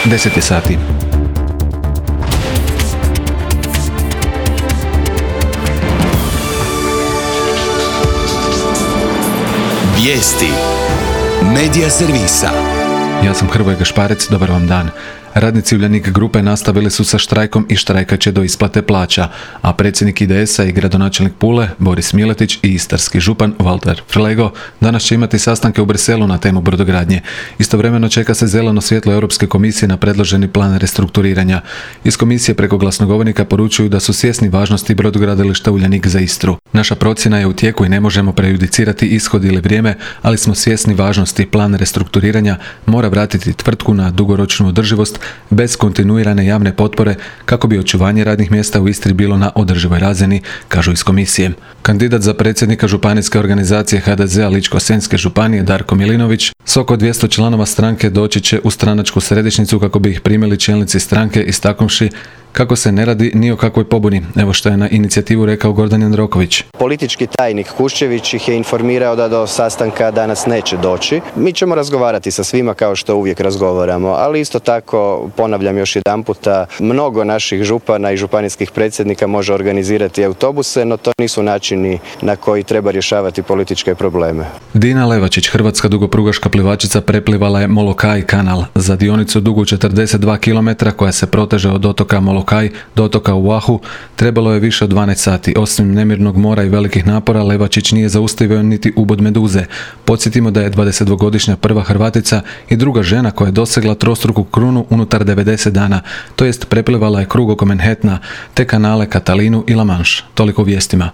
10 je sati. Vijesti Medija servisa. Ja sam Hrvoje Gašparec, dobar vam dan. Radnici Uljanik grupe nastavili su sa štrajkom i štrajkat će do isplate plaća, a predsjednik IDS-a i gradonačelnik Pule, Boris Miletić, i istarski župan Valter Flego danas će imati sastanke u Briselu na temu brodogradnje. Istovremeno čeka se zeleno svjetlo Europske komisije na predloženi plan restrukturiranja. Iz komisije preko glasnogovornika poručuju da su svjesni važnosti brodogradilišta Uljanik za Istru. Naša procjena je u tijeku i ne možemo prejudicirati ishod ili vrijeme, ali smo svjesni važnosti. Plan restrukturiranja mora vratiti tvrtku na dugoročnu održivost bez kontinuirane javne potpore kako bi očuvanje radnih mjesta u Istri bilo na održivoj razini, kažu iz komisije. Kandidat za predsjednika županijske organizacije HDZ-a Ličko-senjske županije Darko Milinović s oko 200 članova stranke doći će u stranačku središnjicu kako bi ih primili čelnici stranke, istaknuvši kako se ne radi ni o kakvoj pobuni. Evo što je na inicijativu rekao Gordan Jandroković. Politički tajnik Kuščević ih je informirao da do sastanka danas neće doći. Mi ćemo razgovarati sa svima kao što uvijek razgovaramo, ali isto tako, ponavljam još jedanputa, mnogo naših župana i županijskih predsjednika može organizirati autobuse, no to nisu načini na koji treba rješavati političke probleme. Dina Levačić, hrvatska dugoprugaška plivačica, preplivala je Molokaj kanal. Za dionicu dugu 42 km koja se proteže od otoka Molokaj do otoka Oahu trebalo je više od 12 sati. Osim nemirnog mora i velikih napora, Levačić nije zaustavio niti ubod meduze. Podsjetimo da je 22-godišnja prva Hrvatica i druga žena koja je dosegla trostruku krunu unutar 90 dana, to jest preplivala je krug oko Manhattana te kanale Catalinu i La Manche. Toliko u vijestima.